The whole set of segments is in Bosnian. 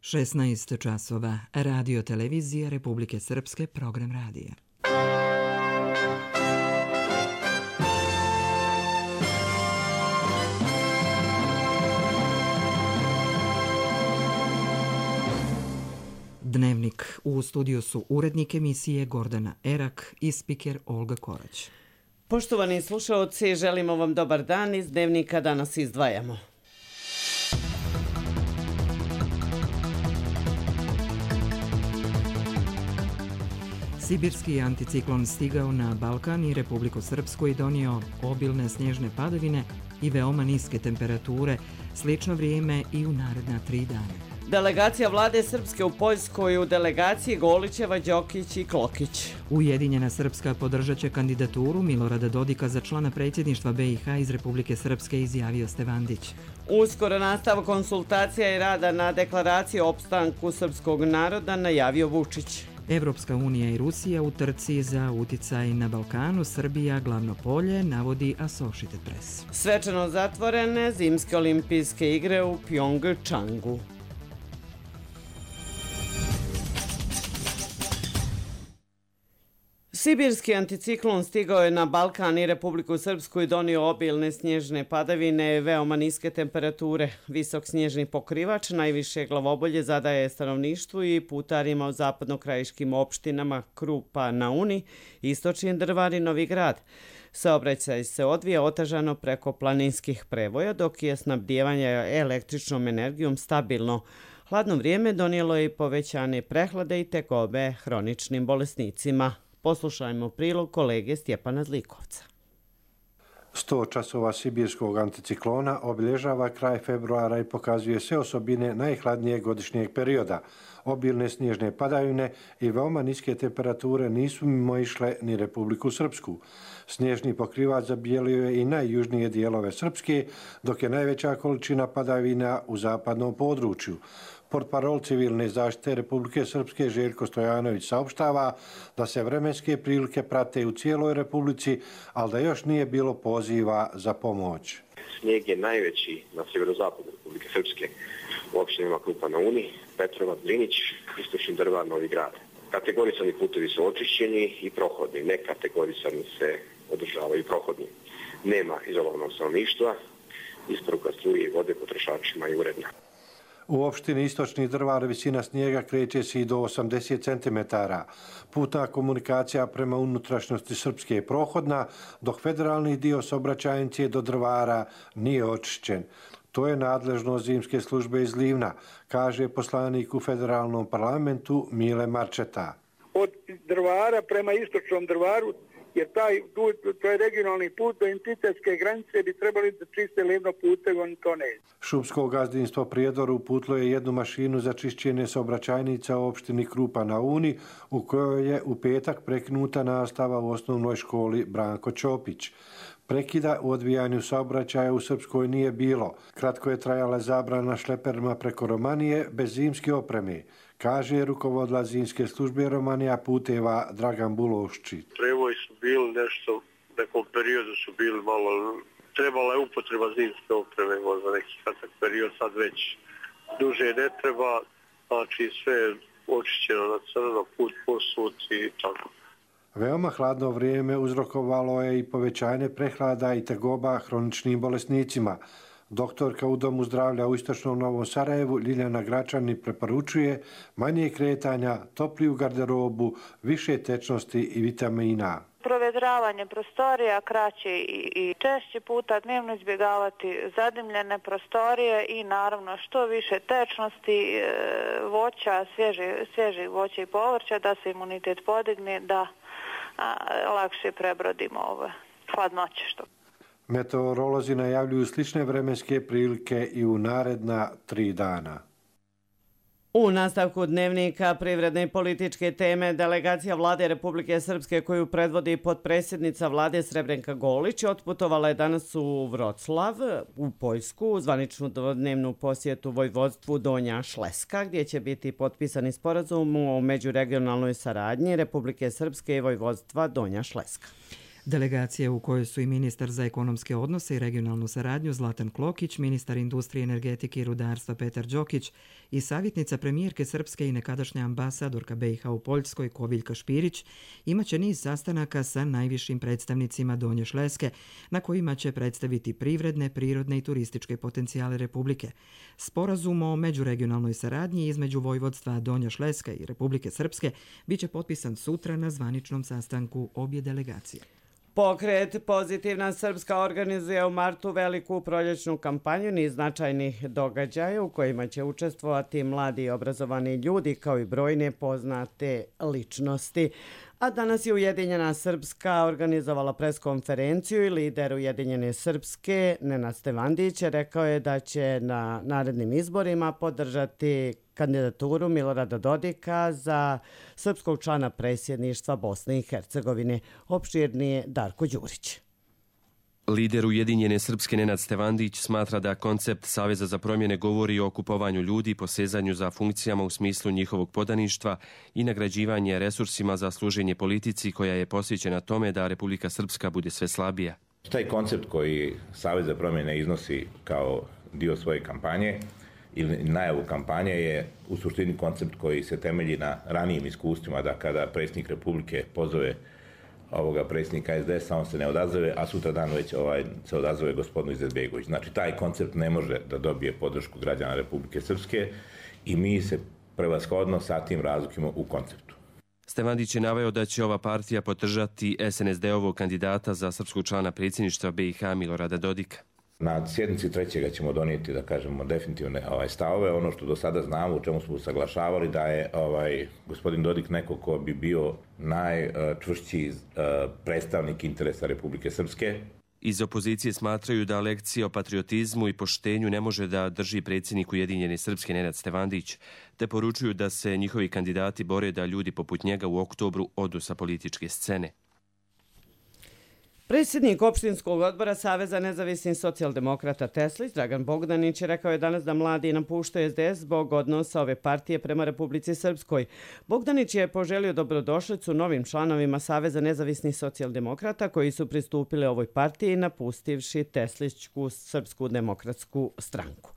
16 časova. Radio televizija Republike Srpske, program radija. Dnevnik. U studiju su urednik emisije Gordana Erak i spiker Olga Korać. Poštovani slušaoci, želimo vam dobar dan. Iz Dnevnika danas izdvajamo. Sibirski anticiklon stigao na Balkan i Republiku Srpsku i donio obilne snježne padavine i veoma niske temperature, slično vrijeme i u naredna 3 dana. Delegacija vlade Srpske u Poljskoj, u delegaciji Golićeva, Đokić i Klokić. Ujedinjena Srpska podržat će kandidaturu Milorada Dodika za člana predsjedništva BiH iz Republike Srpske, izjavio Stevandić. Uskoro nastav konsultacija i rada na deklaraciji o opstanku srpskog naroda, najavio Vučić. Evropska unija i Rusija u trci za uticaj na Balkanu, Srbija glavno polje, navodi Associated Press. Svečano zatvorene zimske olimpijske igre u Pjongčangu. Sibirski anticiklon stigao je na Balkan i Republiku Srpsku i donio obilne snježne padavine, veoma niske temperature. Visok snježni pokrivač najviše glavobolje zadaje stanovništvu i putarima u zapadnokrajiškim opštinama Krupa na Uni, Istočni Drvar i Novi Grad. Saobraćaj se odvija otežano preko planinskih prevoja, dok je snabdijevanje električnom energijom stabilno. Hladno vrijeme donijelo je i povećane prehlade i tegobe hroničnim bolesnicima. Poslušajmo prilog kolege Stjepana Zlikovca. 100 časova sibirskog anticiklona obilježava kraj februara i pokazuje sve osobine najhladnijeg godišnjeg perioda. Obilne snježne padavine i veoma niske temperature nisu mimoišle ni Republiku Srpsku. Snježni pokrivač zabijelio je i najjužnije dijelove Srpske, dok je najveća količina padavina u zapadnom području. Portparol civilne zaštite Republike Srpske Željko Stojanović saopštava da se vremenske prilike prate u cijeloj Republici, ali da još nije bilo poziva za pomoć. Snijeg je najveći na sjeverozapadu Republike Srpske u opštinama Krupa na Uni, Petrovac, Drinić, Istočni Drvar, Novi Grad. Kategorisani putevi su očišćeni i prohodni, nekategorisani se održavaju prohodni. Nema izolovanog stanovništva, isporuka struje i vode potrošačima je uredna. U opštini Istočni Drvar visina snijega kreće se i do 80 cm. Putna komunikacija prema unutrašnjosti Srpske je prohodna, dok federalni dio saobraćajnice do Drvara nije očišćen. To je nadležnost zimske službe iz Livna, kaže poslanik u federalnom parlamentu Mile Marčeta. Od Drvara prema Istočnom Drvaru, jer to je regionalni put do entitetske granice, bi trebali da čiste Livno putev, oni to ne. Šumsko gazdinstvo Prijedor uputilo je jednu mašinu za čišćenje saobraćajnica u opštini Krupa na Uni, u kojoj je u petak prekinuta nastava u osnovnoj školi Branko Ćopić. Prekida u odvijanju saobraćaja u Srpskoj nije bilo. Kratko je trajala zabrana šleperima preko Romanije bez zimske opreme, kaže rukovodila zimske službe Romanija puteva Dragan Bulošči. Prevoji su bili nešto, u nekom periodu su bili malo, trebala je upotreba zimske opreme, možda neki kratak period, sad već duže ne treba, znači sve je očišćeno na crno, put posut i tako. Veoma hladno vrijeme uzrokovalo je i povećanje prehlada i tegoba hroničnim bolesnicima. Doktorka u Domu zdravlja u Istočnom Novom Sarajevu Ljiljana Gračani preporučuje manje kretanja, topliju garderobu, više tečnosti i vitamina. Provedravanje prostorija, kraće i češći puta dnevno izbjegavati zadimljene prostorije i naravno što više tečnosti, voća, svježih voća i povrća da se imunitet podigne, da lakše prebrodimo ove hladnoće što. Meteorolozi najavljuju slične vremenske prilike i u naredna 3 dana. U nastavku Dnevnika privredne i političke teme delegacija vlade Republike Srpske koju predvodi potpredsjednica vlade Srebrenka Golić otputovala je danas u Vroclav u Poljsku u zvaničnu dvodnevnu posjetu vojvodstvu Donja Šleska gdje će biti potpisani sporazum o međuregionalnoj saradnji Republike Srpske i vojvodstva Donja Šleska. Delegacija u kojoj su i ministar za ekonomske odnose i regionalnu saradnju Zlatan Klokić, ministar industrije, energetike i rudarstva Petar Đokić i savjetnica premijerke Srpske i nekadašnja ambasadorka BiH u Poljskoj Koviljka Špirić imaće niz sastanaka sa najvišim predstavnicima Donje Šleske na kojima će predstaviti privredne, prirodne i turističke potencijale Republike. Sporazum o međuregionalnoj saradnji između Vojvodstva Donja Šleska i Republike Srpske biće potpisan sutra na zvaničnom sastanku obje delegacije. Pokret Pozitivna Srpska organizuje u martu veliku proljećnu kampanju niz značajnih događaja u kojima će učestvovati mladi i obrazovani ljudi kao i brojne poznate ličnosti. A danas je Ujedinjena Srpska organizovala preskonferenciju i lider Ujedinjene Srpske Nenad Stevandić rekao je da će na narednim izborima podržati kandidaturu Milorada Dodika za srpskog člana predsjedništva Bosne i Hercegovine. Opširnije Darko Đurić. Lider Ujedinjene Srpske Nenad Stevandić smatra da koncept Saveza za promjene govori o okupovanju ljudi i posezanju za funkcijama u smislu njihovog podaništva i nagrađivanje resursima za služenje politici koja je posvećena tome da Republika Srpska bude sve slabija. Taj koncept koji Savez za promjene iznosi kao dio svoje kampanje ili najavu kampanje je u suštini koncept koji se temelji na ranijim iskustvima da kada predsjednik Republike pozove ovoga predsjednika SDS-a, on se ne odazove, a sutra dan već se odazove gospodin Izetbegović. Znači, taj koncept ne može da dobije podršku građana Republike Srpske i mi se prevashodno sa tim razlikujemo u konceptu. Stevandić je naveo da će ova partija podržati SNSD-ovog kandidata za srpskog člana predsjedništva BiH Milorada Dodika. Na sjednici 3. ćemo donijeti, da kažemo, definitivne stavove. Ono što do sada znamo, u čemu smo usaglašavali, da je gospodin Dodik neko ko bi bio najčvršći predstavnik interesa Republike Srpske. Iz opozicije smatraju da lekcije o patriotizmu i poštenju ne može da drži predsjednik Ujedinjene Srpske Nenad Stevandić, te poručuju da se njihovi kandidati bore da ljudi poput njega u oktobru odu sa političke scene. Predsjednik opštinskog odbora Saveza nezavisnih socijaldemokrata Teslić, Dragan Bogdanić, rekao je danas da mladi napuštaju SDS zbog odnosa ove partije prema Republici Srpskoj. Bogdanić je poželio dobrodošlicu novim članovima Saveza nezavisnih socijaldemokrata koji su pristupili ovoj partiji napustivši Teslićku Srpsku demokratsku stranku.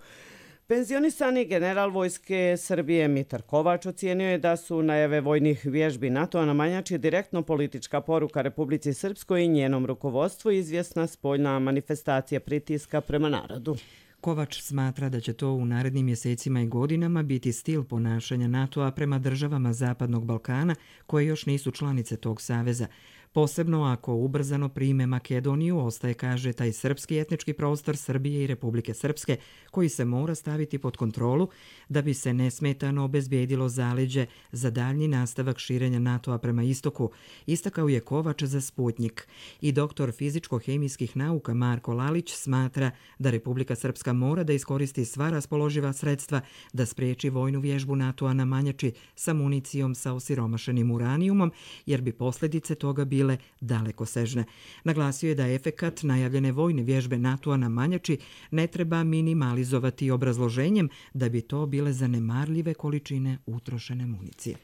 Penzionisani general Vojske Srbije Mitar Kovač ocijenio je da su najave vojnih vježbi NATO-a na Manjači direktno politička poruka Republici Srpskoj i njenom rukovodstvu izvjesna spoljna manifestacija pritiska prema narodu. Kovač smatra da će to u narednim mjesecima i godinama biti stil ponašanja NATO-a prema državama Zapadnog Balkana koje još nisu članice tog saveza. Posebno ako ubrzano prime Makedoniju, ostaje, kaže, taj srpski etnički prostor Srbije i Republike Srpske, koji se mora staviti pod kontrolu da bi se nesmetano obezbijedilo zaleđe za daljnji nastavak širenja NATO-a prema istoku, istakao je Kovač za Sputnjik. I doktor fizičko-hemijskih nauka Marko Lalić smatra da Republika Srpska mora da iskoristi sva raspoloživa sredstva da spriječi vojnu vježbu NATO-a na Manjači sa municijom sa osiromašenim uranijumom, jer bi posljedice toga bile dalekosežne. Naglasio je da efekat najavljene vojne vježbe NATO-a na Manjači ne treba minimalizovati obrazloženjem da bi to bile zanemarljive količine utrošene municije.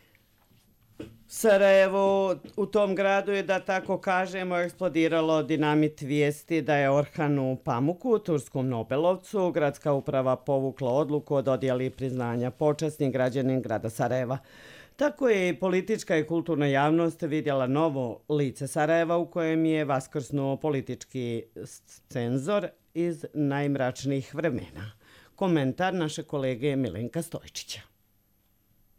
Sarajevo u tom gradu je, da tako kažemo, eksplodiralo dinamit vijesti da je Orhanu Pamuku, turskom Nobelovcu, gradska uprava povukla odluku o dodjeli priznanja počasni građanin grada Sarajeva. Tako je i politička i kulturna javnost vidjela novo lice Sarajeva u kojem je vaskrsnuo politički cenzor iz najmračnijih vremena. Komentar naše kolege Milenka Stojčića.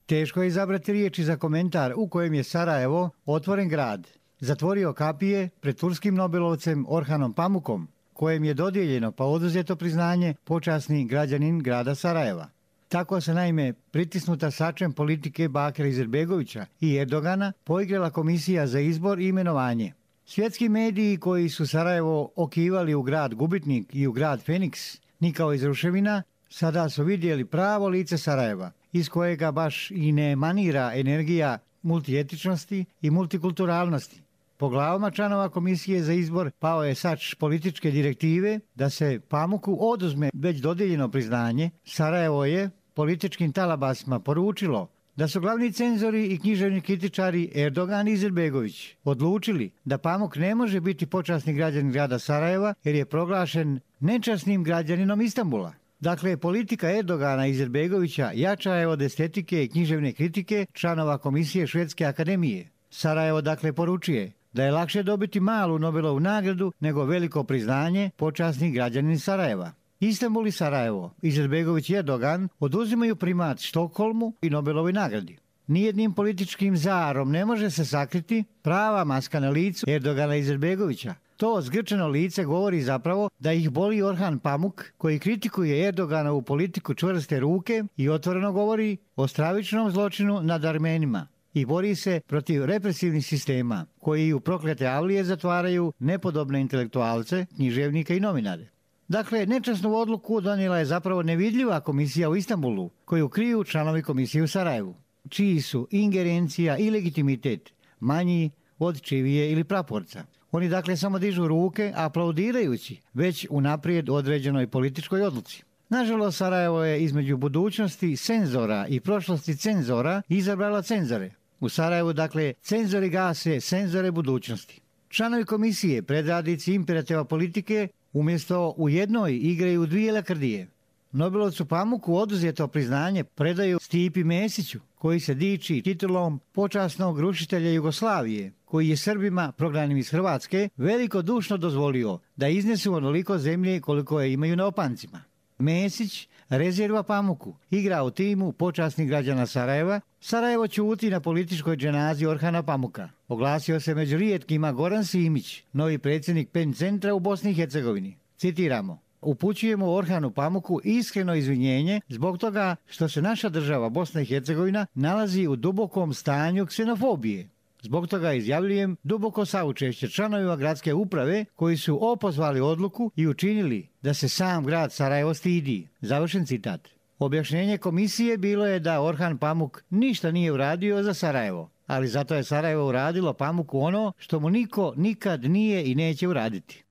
Teško je izabrati riječi za komentar u kojem je Sarajevo, otvoren grad, zatvorio kapije pred turskim Nobelovcem Orhanom Pamukom, kojem je dodijeljeno pa oduzeto priznanje počasni građanin grada Sarajeva. Tako se naime pritisnuta sačem politike Bakira Izetbegovića i Erdogana poigrala komisija za izbor i imenovanje. Svjetski mediji koji su Sarajevo okivali u grad Gubitnik i u grad Feniks, ni kao iz ruševina, sada su vidjeli pravo lice Sarajeva, iz kojega baš i ne emanira energija multietičnosti i multikulturalnosti. Po glavama članova komisije za izbor pao je sač političke direktive da se Pamuku oduzme već dodijeljeno priznanje. Sarajevo je političkim talabasima poručilo da su glavni cenzori i književni kritičari Erdogan i Izetbegović odlučili da Pamuk ne može biti počasni građanin grada Sarajeva jer je proglašen nečasnim građaninom Istanbula. Dakle, politika Erdogana i Izetbegovića jača je od estetike i književne kritike članova Komisije Švedske akademije. Sarajevo dakle poručuje da je lakše dobiti malu Nobelovu nagradu nego veliko priznanje počasni građanin Sarajeva. Istanbul i Sarajevo, Izetbegović i Erdogan oduzimaju primat Štokholmu i Nobelovoj nagradi. Nijednim političkim zarom ne može se sakriti prava maska na licu Erdogana i Izetbegovića. To zgrčeno lice govori zapravo da ih boli Orhan Pamuk koji kritikuje Erdoganovu politiku čvrste ruke i otvoreno govori o stravičnom zločinu nad Armenima i bori se protiv represivnih sistema koji u proklete avlije zatvaraju nepodobne intelektualce, književnike i novinare. Dakle, nečasnu odluku donijela je zapravo nevidljiva komisija u Istanbulu, koju kriju članovi komisije u Sarajevu, čiji su ingerencija i legitimitet manji od čivije ili praporca. Oni dakle samo dižu ruke aplaudirajući već unaprijed određenoj političkoj odluci. Nažalost, Sarajevo je između budućnosti cenzora i prošlosti cenzora izabrala cenzore. U Sarajevu dakle cenzori gase cenzore budućnosti. Članovi komisije, predradnici imperativa politike, umjesto u jednoj igraju dvije lakrdije. Nobelovcu Pamuku oduzeto priznanje predaju Stipi Mesiću, koji se diči titulom počasnog rušitelja Jugoslavije, koji je Srbima prognanim iz Hrvatske velikodušno dozvolio da iznesu onoliko zemlje koliko je imaju na opancima. Mesić rezerva Pamuku, igra u timu počasnih građana Sarajeva. Sarajevo ćuti na političkoj dženazi Orhana Pamuka. Oglasio se među rijetkima Goran Simić, novi predsjednik PEN centra u Bosni i Hercegovini. Citiramo: upućujemo Orhanu Pamuku iskreno izvinjenje zbog toga što se naša država Bosna i Hercegovina nalazi u dubokom stanju ksenofobije. Zbog toga izjavljujem duboko saučešće članovima gradske uprave koji su opozvali odluku i učinili da se sam grad Sarajevo stidi. Završen citat. Objašnjenje komisije bilo je da Orhan Pamuk ništa nije uradio za Sarajevo, ali zato je Sarajevo uradilo Pamuku ono što mu niko nikad nije i neće uraditi.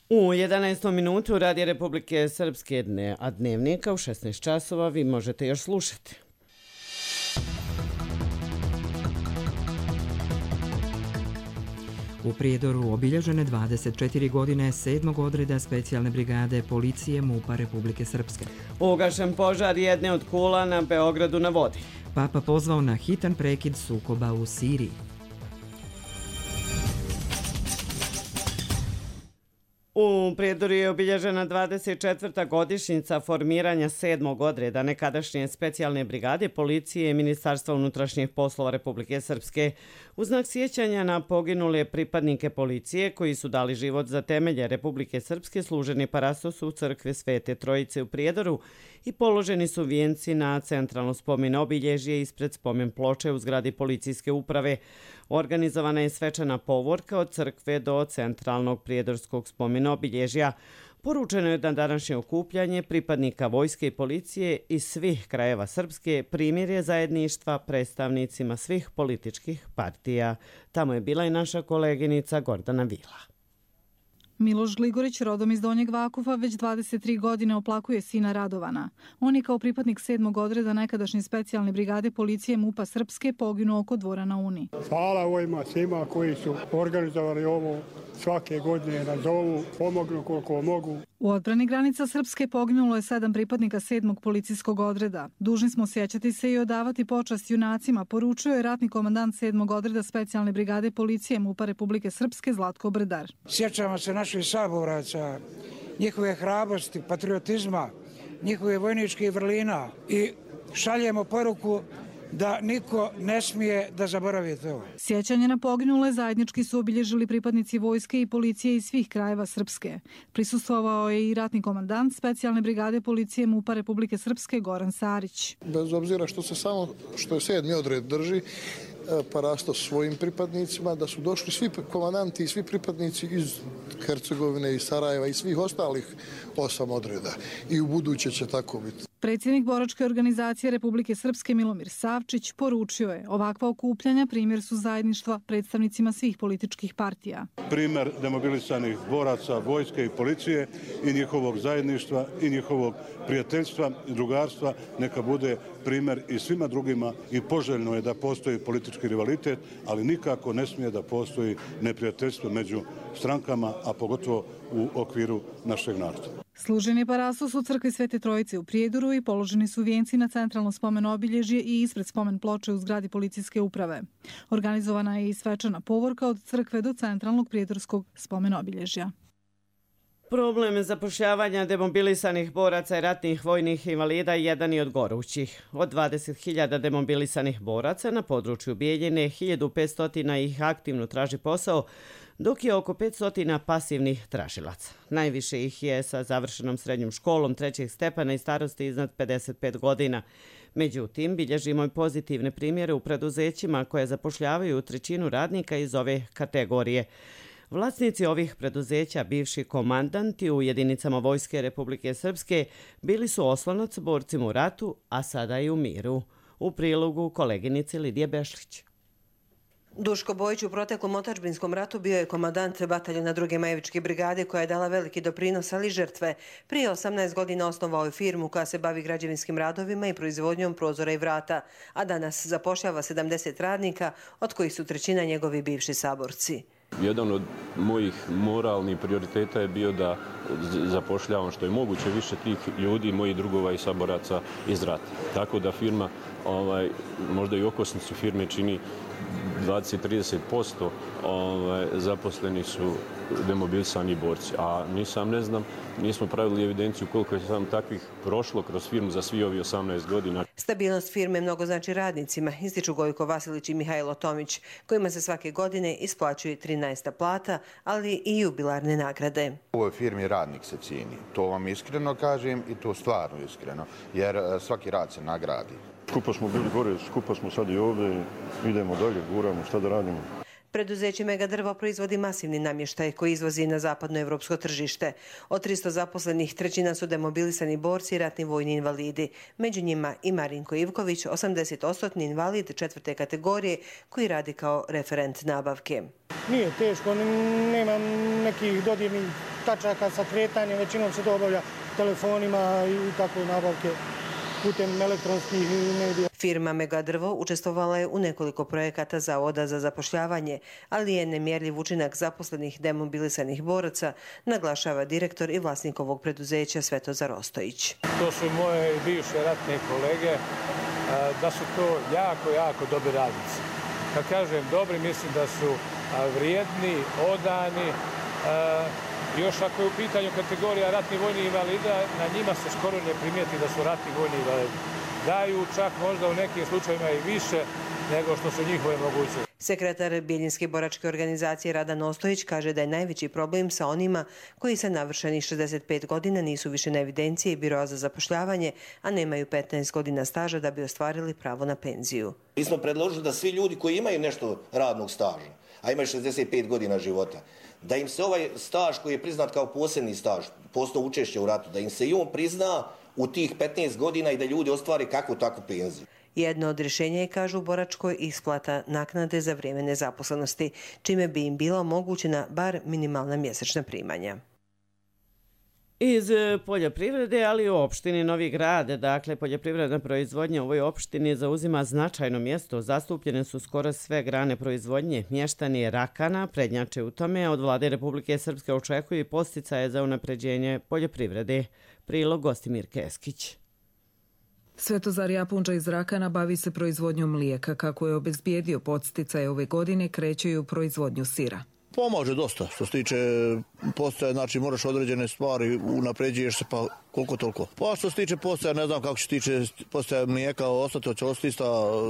U 11. minutu Radija Republike Srpske a Dnevnika u 16 časova vi možete još slušati. U Prijedoru obilježene 24 godine 7. odreda specijalne brigade policije MUP-a Republike Srpske. Ugašen požar jedne od kula na Beogradu na vodi. Papa pozvao na hitan prekid sukoba u Siriji. U Prijedoru je obilježena 24. godišnjica formiranja 7. odreda nekadašnje specijalne brigade policije i Ministarstva unutrašnjih poslova Republike Srpske. U znak sjećanja na poginule pripadnike policije koji su dali život za temelje Republike Srpske služeni parastos u crkve Svete Trojice u Prijedoru i položeni su vijenci na centralno spomen obilježje ispred spomen ploče u zgradi policijske uprave. Organizovana je svečana povorka od crkve do centralnog prijedorskog spomen obilježja. Poručeno je da današnje okupljanje pripadnika vojske i policije iz svih krajeva Srpske primirje zajedništva predstavnicima svih političkih partija. Tamo je bila i naša koleginica Gordana Vila. Miloš Gligorić, rodom iz Donjeg Vakufa, već 23 godine oplakuje sina Radovana. On je kao pripadnik 7. odreda nekadašnje specijalne brigade policije MUP-a Srpske poginuo oko dvora na Uni. Hvala ovima svima koji su organizovali ovo svake godine na zovu, pomognu koliko mogu. U odbrani granica Srpske poginulo je 7 pripadnika 7. policijskog odreda. Dužni smo sjećati se i odavati počast junacima, poručio je ratni komandant 7. odreda specijalne brigade policije MUP-a Republike Srpske Zlatko Brdar. Sjećamo se naših saboraca, njihove hrabrosti, patriotizma, njihove vojničkih vrlina i šaljemo poruku da niko ne smije da zaboravi to. Sjećanje na poginule zajednički su obilježili pripadnici vojske i policije iz svih krajeva Srpske. Prisustvovao je i ratni komandant specijalne brigade policije MUP-a Republike Srpske Goran Sarić. Bez obzira što je 7. odred drži parastos svojim pripadnicima, da su došli svi komandanti i svi pripadnici iz Hercegovine i Sarajeva i svih ostalih 8 odreda. I u buduće će tako biti. Predsjednik boračke organizacije Republike Srpske Milomir Savčić poručio je ovakva okupljanja primjer su zajedništva predstavnicima svih političkih partija. Primjer demobilisanih boraca, vojske i policije i njihovog zajedništva i njihovog prijateljstva i drugarstva neka bude primjer i svima drugima i poželjno je da postoji politički rivalitet, ali nikako ne smije da postoji neprijateljstvo među strankama, a pogotovo u okviru našeg naroda. Služen je parasos u crkvi Svete Trojice u Prijedoru i položeni su vijenci na centralno spomen obilježje i ispred spomen ploče u zgradi policijske uprave. Organizovana je i svečana povorka od crkve do centralnog prijedorskog spomen obilježja. Problem zapošljavanja demobilisanih boraca i ratnih vojnih invalida jedan je od gorućih. Od 20.000 demobilisanih boraca na području Bijeljine 1.500 ih aktivno traži posao, dok je oko 500 pasivnih tražilaca. Najviše ih je sa završenom srednjom školom 3. stepena i starosti iznad 55 godina. Međutim, bilježimo i pozitivne primjere u preduzećima koje zapošljavaju 1/3 radnika iz ove kategorije. Vlasnici ovih preduzeća, bivši komandanti u jedinicama Vojske Republike Srpske, bili su oslonac borcima u ratu, a sada i u miru. U prilogu koleginice Lidije Bešlić. Duško Bojić u proteklom otadžbinskom ratu bio je komandant bataljona 2. Majevičke brigade koja je dala veliki doprinos, ali žrtve. Prije 18 godina osnovao je firmu koja se bavi građevinskim radovima i proizvodnjom prozora i vrata, a danas zapošljava 70 radnika, od kojih su 1/3 njegovi bivši saborci. Jedan od mojih moralnih prioriteta je bio da zapošljavam što je moguće više tih ljudi, mojih drugova i saboraca iz rata. Tako da firma, možda i okosnicu firme čini 20-30% zaposleni su demobilisani borci. A nismo pravili evidenciju koliko je sam takvih prošlo kroz firmu za svi ovi 18 godina. Stabilnost firme mnogo znači radnicima, ističu Gojko Vasilić i Mihajlo Tomić, kojima se svake godine isplaćuje 13. plata, ali i jubilarne nagrade. U ovoj firmi radnik se cijeni. To vam iskreno kažem i to stvarno iskreno, jer svaki rad se nagradi. Skupo smo bili gore, skupo smo sad i ovdje, idemo dalje, guramo, šta da radimo. Preduzeće Megadrvo proizvodi masivni namještaj koji izvozi na zapadno evropsko tržište. Od 300 zaposlenih 1/3 su demobilisani borci i ratni vojni invalidi. Među njima i Marinko Ivković, 80% invalid 4. kategorije koji radi kao referent nabavke. Nije teško, nemam nekih dodirnih tačaka sa kretanjem, većinom se to obavlja telefonima i tako nabavke putem elektronskih medija. Firma Megadrvo učestvovala je u nekoliko projekata Zavoda za zapošljavanje, ali je nemjerljiv učinak zaposlenih demobilisanih boraca, naglašava direktor i vlasnik ovog preduzeća Svetozar Ostojić. To su moje bivše ratne kolege, da su to jako dobri radnici. Kad kažem dobri, mislim da su vrijedni, odani. Još ako je u pitanju kategorija ratni vojni invalida, na njima se skoro ne primijeti da su ratni vojni invalidi. Daju čak možda u nekim slučajima i više nego što su njihove mogućnosti. Sekretar Bijeljinske boračke organizacije Radan Ostojić kaže da je najveći problem sa onima koji sa navršenih 65 godina nisu više na evidenciji Biroa za zapošljavanje, a nemaju 15 godina staža da bi ostvarili pravo na penziju. Mi smo predložili da svi ljudi koji imaju nešto radnog staža, a imaju 65 godina života, da im se ovaj staž koji je priznat kao posebni staž, postoji učešće u ratu, da im se i on prizna u tih 15 godina i da ljudi ostvare kakvu takvu penziju. Jedno od rješenja je, kažu u Boračkoj, isplata naknade za vrijeme nezaposlenosti, čime bi im bila omogućena bar minimalna mjesečna primanja. Iz poljoprivrede, ali u opštini Novi Grad, dakle poljoprivredna proizvodnja u ovoj opštini zauzima značajno mjesto. Zastupljene su skoro sve grane proizvodnje. Mještani Rakana prednjače u tome, a od vlade Republike Srpske očekuju i podsticaje za unapređenje poljoprivrede. Prilog Gostimir Keskić. Svetozar Japunđa iz Rakana bavi se proizvodnjom mlijeka. Kako je obezbijedio podsticaje ove godine, kreće i u proizvodnju sira. Pomaže dosta. Što se tiče postaje, znači moraš određene stvari, unapređuješ se pa koliko toliko. Pa što se tiče postaja, ne znam kako će tiče postaja mlijeka ostati, će ostati ista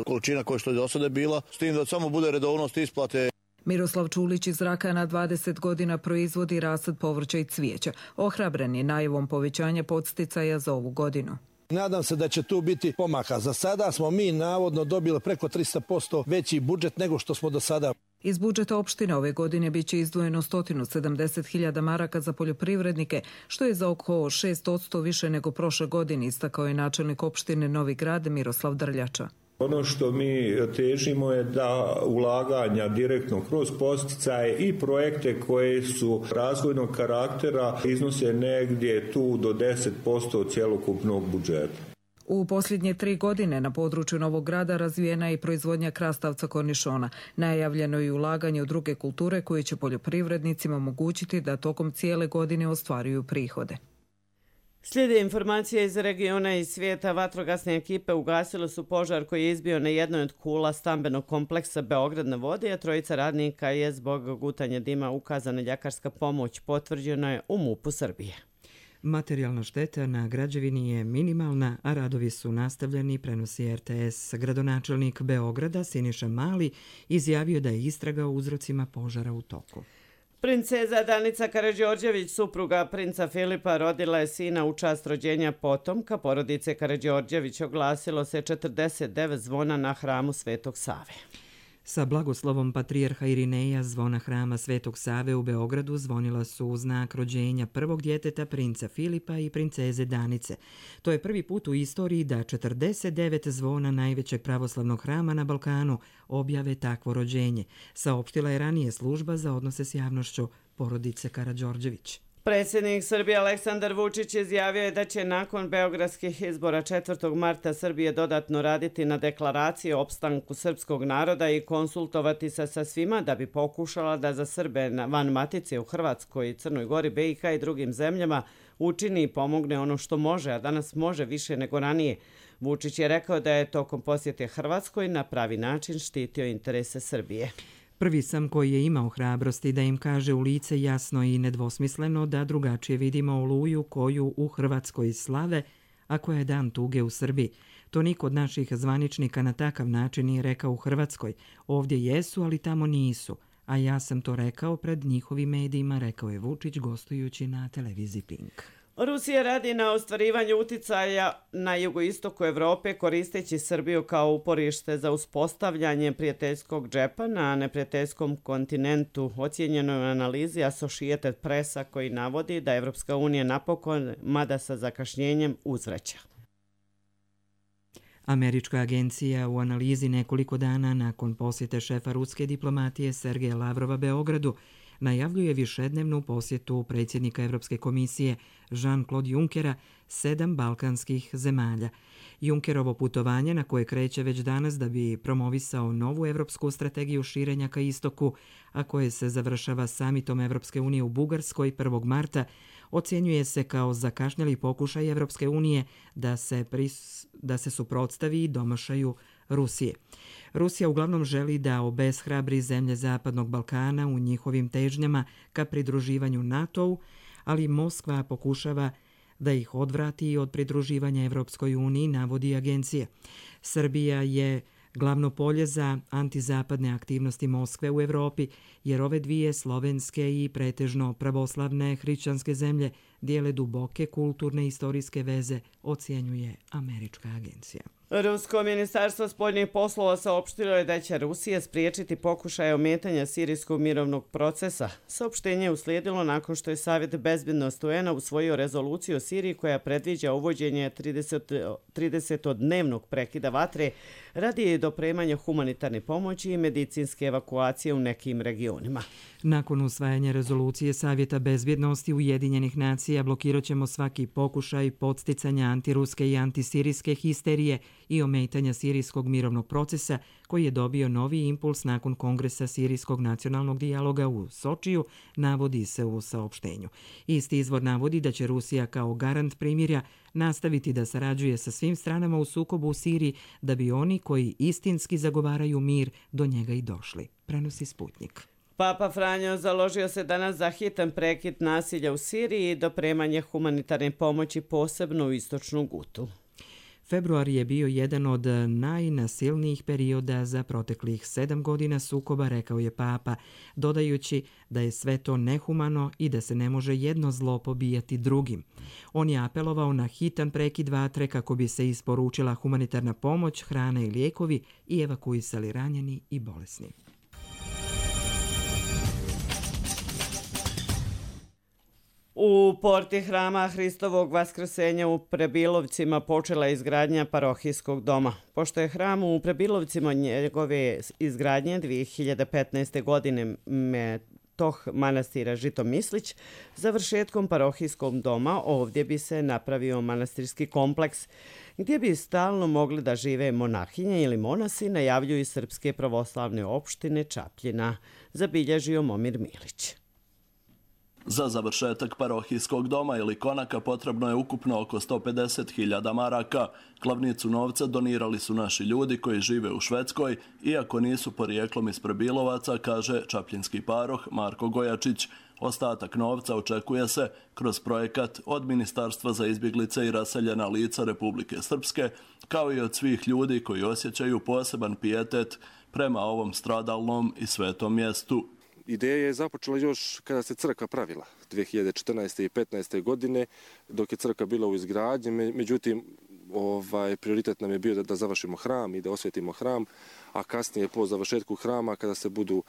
količina koja što je do sada bila, s tim da samo bude redovnost isplate. Miroslav Čulić iz Rakana 20 godina proizvodi rasad povrća i cvijeća. Ohrabren je najavom povećanja podsticaja za ovu godinu. Nadam se da će tu biti pomaka. Za sada smo mi navodno dobili preko 300% veći budžet nego što smo do sada. Iz budžeta opštine ove godine biće izdvojeno 170.000 maraka za poljoprivrednike, što je za oko 6% više nego prošle godine, istakao je načelnik opštine Novi Grad Miroslav Drljača. Ono što mi težimo je da ulaganja direktno kroz podsticaje i projekte koje su razvojnog karaktera iznose negdje tu do 10% od cjelokupnog budžeta. U posljednje 3 godine na području Novog Grada razvijena je i proizvodnja krastavca kornišona. Najavljeno je ulaganje u druge kulture koje će poljoprivrednicima omogućiti da tokom cijele godine ostvaruju prihode. Slijede informacije iz regiona i svijeta. Vatrogasne ekipe ugasile su požar koji je izbio na jednoj od kula stambenog kompleksa Beograd na vodi, a 3 radnika je zbog gutanja dima ukazana ljekarska pomoć. Potvrđeno je u MUP-u Srbije. Materijalna šteta na građevini je minimalna, a radovi su nastavljeni, prenosi RTS. Gradonačelnik Beograda Siniša Mali izjavio da je istraga o uzrocima požara u toku. Princeza Danica Karađorđević, supruga princa Filipa, rodila je sina u čast rođenja potomka porodice Karađorđević. Oglasilo se 49 zvona na hramu Svetog Save. Sa blagoslovom patrijarha Irineja zvona hrama Svetog Save u Beogradu zvonila su u znak rođenja prvog djeteta princa Filipa i princeze Danice. To je prvi put u istoriji da 49 zvona najvećeg pravoslavnog hrama na Balkanu objave takvo rođenje, saopštila je ranije služba za odnose s javnošću porodice Karađorđević. Predsjednik Srbije Aleksandar Vučić izjavio je da će nakon beogradskih izbora 4. marta Srbije dodatno raditi na deklaraciji o opstanku srpskog naroda i konsultovati se sa svima da bi pokušala da za Srbe van matice u Hrvatskoj, Crnoj Gori, BiH i drugim zemljama učini i pomogne ono što može, a danas može više nego ranije. Vučić je rekao da je tokom posjete Hrvatskoj na pravi način štitio interese Srbije. Prvi sam koji je imao hrabrosti da im kaže u lice jasno i nedvosmisleno da drugačije vidimo Oluju koju u Hrvatskoj slave, a koja je dan tuge u Srbiji. To niko od naših zvaničnika na takav način nije rekao u Hrvatskoj. Ovdje jesu, ali tamo nisu. A ja sam to rekao pred njihovim medijima, rekao je Vučić gostujući na televiziji Pink. Rusija radi na ostvarivanju uticaja na jugoistoku Evrope koristeći Srbiju kao uporište za uspostavljanje prijateljskog džepa na neprijateljskom kontinentu. Ocijenjeno je u analizi Associated Pressa koji navodi da Evropska unija napokon, mada sa zakašnjenjem, uzvraća. Američka agencija u analizi nekoliko dana nakon posjete šefa ruske diplomatije Sergeja Lavrova Beogradu najavljuje višednevnu posjetu predsjednika Evropske komisije Jean-Claude Junckera 7 balkanskih zemalja. Junckerovo putovanje, na koje kreće već danas da bi promovisao novu evropsku strategiju širenja ka istoku, a koje se završava samitom Evropske unije u Bugarskoj 1. marta, ocjenjuje se kao zakašnjeli pokušaj Evropske unije da se suprotstavi domašaju Rusije. Rusija uglavnom želi da obeshrabri zemlje Zapadnog Balkana u njihovim težnjama ka pridruživanju NATO-u, ali Moskva pokušava da ih odvrati od pridruživanja Evropskoj uniji, navodi agencija. Srbija je glavno polje za antizapadne aktivnosti Moskve u Evropi, jer ove dvije slovenske i pretežno pravoslavne hrišćanske zemlje dijele duboke kulturne i istorijske veze, ocjenjuje američka agencija. Rusko ministarstvo spoljnih poslova saopštilo je da će Rusija spriječiti pokušaje ometanja sirijskog mirovnog procesa. Saopštenje je uslijedilo nakon što je Savjet bezbednosti UN-a usvojio rezoluciju o Siriji koja predviđa uvođenje 30-dnevnog prekida vatre radi dopremanja humanitarne pomoći i medicinske evakuacije u nekim regionima. Nakon usvajanja rezolucije Savjeta bezbjednosti Ujedinjenih nacija blokirat ćemo svaki pokušaj podsticanja antiruske i antisirijske histerije i ometanja sirijskog mirovnog procesa koji je dobio novi impuls nakon Kongresa Sirijskog nacionalnog dijaloga u Sočiju, navodi se u saopštenju. Isti izvor navodi da će Rusija kao garant primirja nastaviti da sarađuje sa svim stranama u sukobu u Siriji da bi oni koji istinski zagovaraju mir do njega i došli, prenosi Sputnik. Papa Franjo založio se danas za hitan prekid nasilja u Siriji i dopremanje humanitarne pomoći posebno u istočnu Gutu. Februar je bio jedan od najnasilnijih perioda za proteklih 7 godina sukoba, rekao je Papa, dodajući da je sve to nehumano i da se ne može jedno zlo pobijati drugim. On je apelovao na hitan prekid vatre kako bi se isporučila humanitarna pomoć, hrana i lijekovi i evakuisali ranjeni i bolesni. U porti hrama Hristovog vaskrsenja u Prebilovcima počela je izgradnja parohijskog doma. Pošto je hram u Prebilovcima njegove izgradnje 2015. godine metoh manastira Žitomislić, završetkom parohijskog doma ovdje bi se napravio manastirski kompleks gdje bi stalno mogli da žive monahinje ili monasi, najavljuju Srpske pravoslavne opštine Čapljina, zabilježio Momir Milić. Za završetak parohijskog doma ili konaka potrebno je ukupno oko 150.000 maraka. Glavnicu novca donirali su naši ljudi koji žive u Švedskoj, iako nisu porijeklom iz Prebilovaca, kaže čapljinski paroh Marko Gojačić. Ostatak novca očekuje se kroz projekat od Ministarstva za izbjeglice i raseljena lica Republike Srpske, kao i od svih ljudi koji osjećaju poseban pijetet prema ovom stradalnom i svetom mjestu. Ideja je započela još kada se crkva pravila 2014. i 2015. godine, dok je crkva bila u izgradnji. Međutim, prioritet nam je bio da završimo hram i da osvetimo hram, a kasnije po završetku hrama, kada se budu,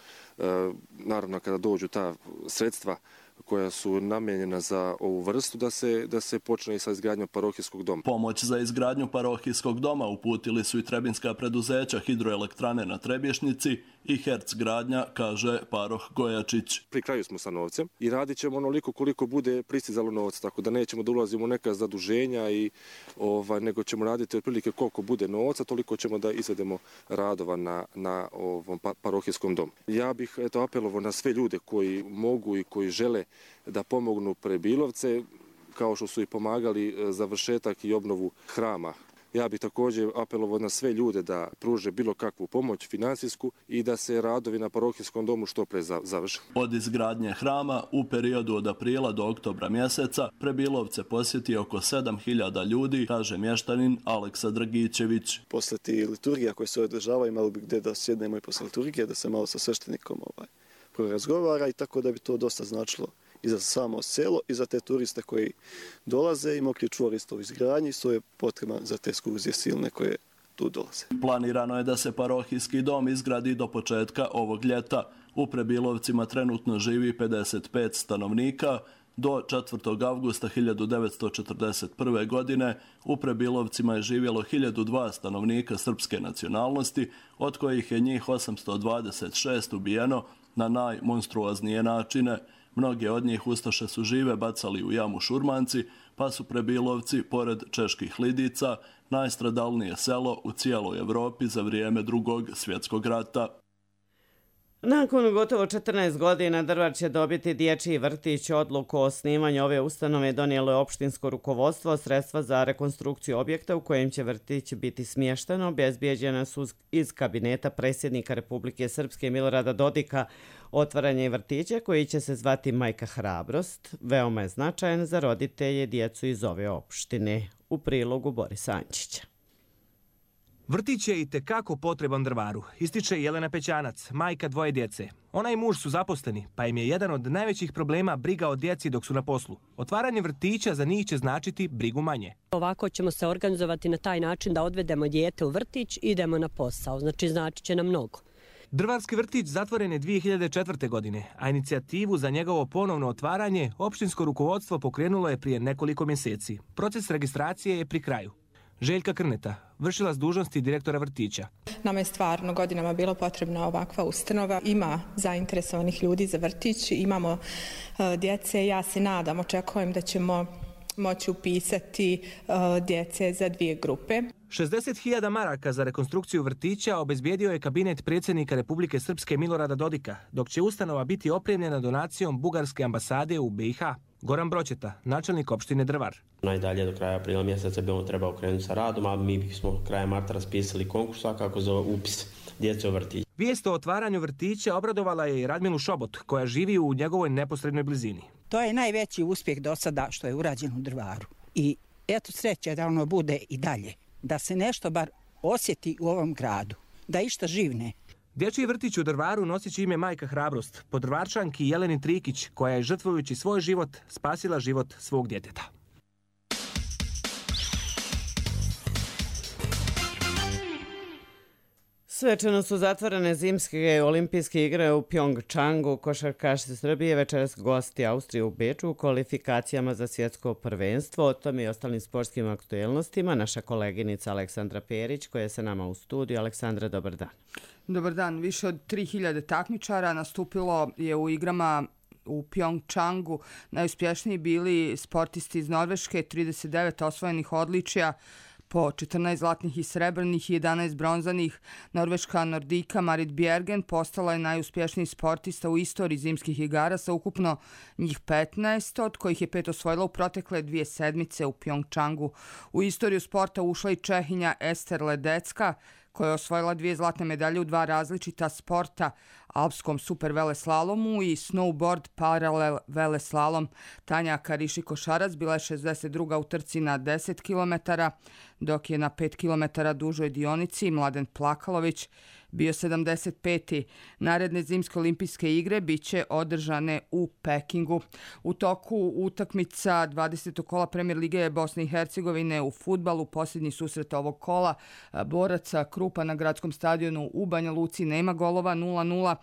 naravno kada dođu ta sredstva koja su namijenjena za ovu vrstu, da se počne i sa izgradnjom parohijskog doma. Pomoć za izgradnju parohijskog doma uputili su i trebinska preduzeća Hidroelektrane na Trebješnici i Herc gradnja, kaže paroh Gojačić. Pri kraju smo sa novcem i radit ćemo onoliko koliko bude pristizalo novac, tako da nećemo da ulazimo u neka zaduženja, nego ćemo raditi otprilike koliko bude novca, toliko ćemo da izvedemo radova na ovom parohijskom domu. Ja bih apelovao na sve ljude koji mogu i koji žele da pomognu Prebilovce, kao što su i pomagali završetak i obnovu hrama. Ja bih također apelovao na sve ljude da pruže bilo kakvu pomoć finansijsku i da se radovi na parohijskom domu što pre završe. Od izgradnje hrama u periodu od aprila do oktobra mjeseca Prebilovce posjeti oko 7.000 ljudi, kaže mještanin Aleksa Dragićević. Posle ti liturgija koje se održavaju, malo bi gdje da sjednemo i posle liturgije, da se malo sa sveštenikom razgovara i tako da bi to dosta značilo i za samo selo i za te turiste koji dolaze i mokri čvor isto u izgradnji, to je potreba za te ekskurzije silne koje tu dolaze. Planirano je da se parohijski dom izgradi do početka ovog ljeta. U Prebilovcima trenutno živi 55 stanovnika. Do 4. avgusta 1941. godine u Prebilovcima je živjelo 1002 stanovnika srpske nacionalnosti, od kojih je njih 826 ubijeno na najmonstruoznije načine. Mnoge od njih ustaše su žive bacali u jamu Šurmanci, pa su Prebilovci, pored Čeških Lidica, najstradalnije selo u cijeloj Evropi za vrijeme Drugog svjetskog rata. Nakon gotovo 14 godina Drvar će dobiti dječji vrtić. Odluku o osnivanju ove ustanove donijelo je opštinsko rukovodstvo. Sredstva za rekonstrukciju objekta u kojem će vrtić biti smješteno obezbijeđena su iz kabineta predsjednika Republike Srpske Milorada Dodika. Otvaranje vrtića koji će se zvati Majka Hrabrost veoma je značajan za roditelje djecu iz ove opštine. U prilogu Borisa Ančića. Vrtić je i tekako potreban Drvaru, ističe Jelena Pećanac, majka dvoje djece. Ona i muž su zaposleni, pa im je jedan od najvećih problema briga o djeci dok su na poslu. Otvaranje vrtića za njih će značiti brigu manje. Ovako ćemo se organizovati na taj način da odvedemo dijete u vrtić i idemo na posao, znači će nam mnogo. Drvarski vrtić zatvoren je 2004. godine, a inicijativu za njegovo ponovno otvaranje opštinsko rukovodstvo pokrenulo je prije nekoliko mjeseci. Proces registracije je pri kraju. Željka Krneta, vršilac dužnosti direktora vrtića. Nama je stvarno godinama bilo potrebna ovakva ustanova. Ima zainteresovanih ljudi za vrtić, imamo djece. Ja se nadam, očekujem da ćemo moći upisati djece za 2 grupe. 60.000 maraka za rekonstrukciju vrtića obezbijedio je kabinet predsjednika Republike Srpske Milorada Dodika, dok će ustanova biti opremljena donacijom Bugarske ambasade u BiH. Goran Broćeta, načelnik opštine Drvar. Najdalje do kraja aprila mjeseca bi on trebao krenuti sa radom, a mi smo krajem marta raspisali konkurs svakako za upis djece u vrtić. Vijest o otvaranju vrtića obradovala je i Radmilu Šobot, koja živi u njegovoj neposrednoj blizini. To je najveći uspjeh do sada što je urađeno u Drvaru. I eto sreće da ono bude i dalje. Da se nešto bar osjeti u ovom gradu. Da išta živne. Dječji vrtić u Drvaru nosit će ime Majka Hrabrost, po Drvarčanki Jeleni Trikić, koja je žrtvujući svoj život spasila život svog djeteta. Svečano su zatvorene zimske olimpijske igre u Pjongčangu. Košarkaši Srbije večeras gosti Austrije u Beču u kvalifikacijama za svjetsko prvenstvo. O tome i ostalim sportskim aktuelnostima naša koleginica Aleksandra Perić koja je sa nama u studiju. Aleksandra, dobar dan. Dobar dan. Više od 3000 takmičara nastupilo je u igrama u Pjongčangu. Najuspješniji bili sportisti iz Norveške, 39 osvojenih odličja, po 14 zlatnih i srebrnih i 11 bronzanih. Norveška Nordika Marit Bjergen postala je najuspješniji sportista u istoriji zimskih igara sa ukupno njih 15, od kojih je 5 osvojila u protekle 2 sedmice u Pjongčangu. U istoriju sporta ušla i Čehinja Ester Ledecka, koja je osvojila 2 zlatne medalje u 2 različita sporta, alpskom super veleslalomu i snowboard paralel veleslalom. Tanja Kariši-Košarac bila je 62. u trci na 10 km, dok je na 5 km dužoj dionici Mladen Plakalović bio 75. Naredne zimske olimpijske igre biće održane u Pekingu. U toku utakmica 20. kola Premier Lige Bosne i Hercegovine u fudbalu, posljednji susret ovog kola, boraca Krupa na gradskom stadionu u Banja Luci nema golova, 0-0.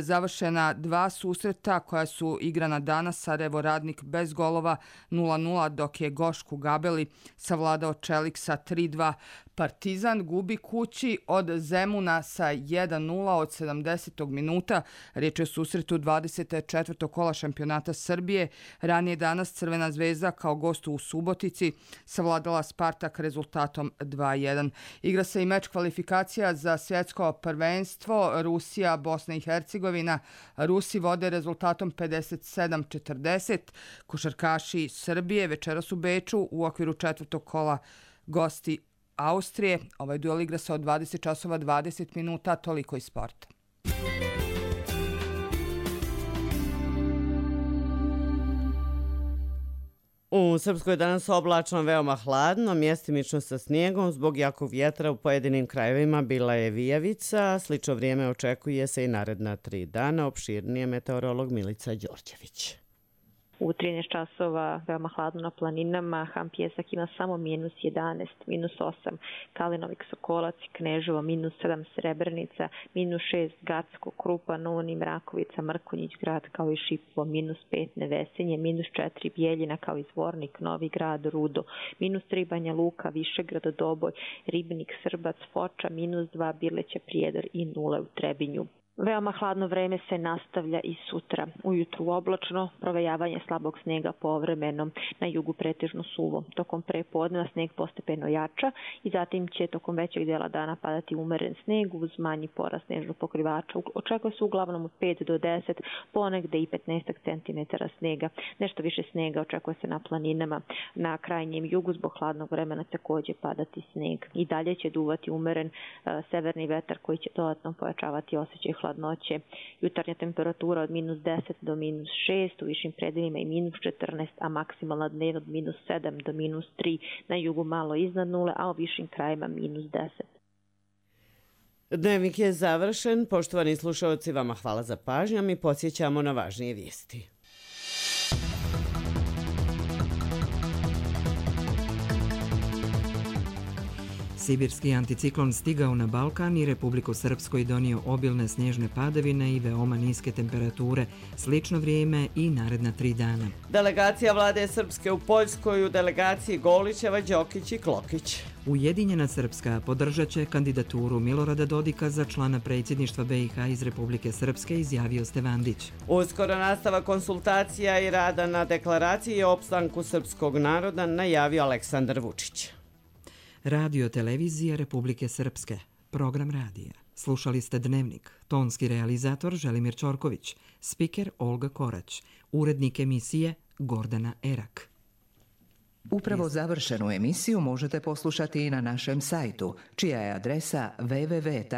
Završena 2 susreta koja su igrana danas, Sarajevo Radnik bez golova 0-0, dok je Gošku Gabeli savladao Čelik sa 3-2. Partizan gubi kući od Zemuna sa 1-0 od 70. minuta. Riječ je o susretu 24. kola šampionata Srbije. Ranije danas Crvena zvezda kao gostu u Subotici savladala Spartak rezultatom 2-1. Igra se i meč kvalifikacija za svjetsko prvenstvo Rusija, Bosna i Hercegovina. Rusi vode rezultatom 57-40. Košarkaši Srbije večeras u Beču u okviru 4. kola gosti Austrije. Ovaj duel igra se od 20 časova 20 minuta, toliko iz sporta. U Srpskoj je danas oblačno, veoma hladno, mjestimično sa snijegom. Zbog jakog vjetra u pojedinim krajevima bila je vijavica. Slično vrijeme očekuje se i naredna 3 dana. Opširnije meteorolog Milica Đorđević. U 13 časova veoma hladno na planinama, Ham Pjesak ima samo -11, -8, Kalinovik Sokolac i Kneževo, -7 Srebrenica, -6 Gacko, Krupa, Novoni, Mrakovica, Mrkonjić grad kao i Šipovo, -5 Nevesenje, -4 Bijeljina kao i Zvornik, Novi grad, Rudo, -3 Banja Luka, Višegrad, Doboj, Ribnik, Srbac, Foča, -2 Birleća, Prijedor i 0 u Trebinju. Veoma hladno vreme se nastavlja i sutra. Ujutru oblačno, provejavanje slabog snega povremeno, na jugu pretežno suvo. Tokom prepodneva sneg postepeno jača i zatim će tokom većeg dela dana padati umeren sneg uz manji porast snežnog pokrivača. Očekuje se uglavnom od 5 do 10, ponegde i 15 cm snega. Nešto više snega očekuje se na planinama. Na krajnjem jugu zbog hladnog vremena također padati sneg. I dalje će duvati umeren severni vetar koji će dodatno pojačavati osjećaj hladnoće. Jutarnja temperatura od -10 do -6, u višim predelima i -14, a maksimalna dnevna od -7 do -3, na jugu malo iznad 0, a u višim krajima -10. Dnevnik je završen. Poštovani slušalci, vama hvala za pažnju. Mi podsjećamo na važnije vijesti. Sibirski anticiklon stigao na Balkan i Republiku Srpsku i donio obilne snježne padavine i veoma niske temperature, slično vrijeme i naredna 3 dana. Delegacija vlade Srpske u Poljskoj u delegaciji Golićeva, Đokić i Klokić. Ujedinjena Srpska podržat će kandidaturu Milorada Dodika za člana predsjedništva BiH iz Republike Srpske, izjavio Stevandić. Uskoro nastava konsultacija i rada na deklaraciji o opstanku srpskog naroda, najavio Aleksandar Vučić. Radio televizija Republike Srpske. Program radija. Slušali ste Dnevnik. Tonski realizator Želimir Čorković. Spiker Olga Korać. Urednik emisije Gordana Erak. Upravo završenu emisiju možete poslušati i na našem sajtu, čija je adresa www.rtrs.tv.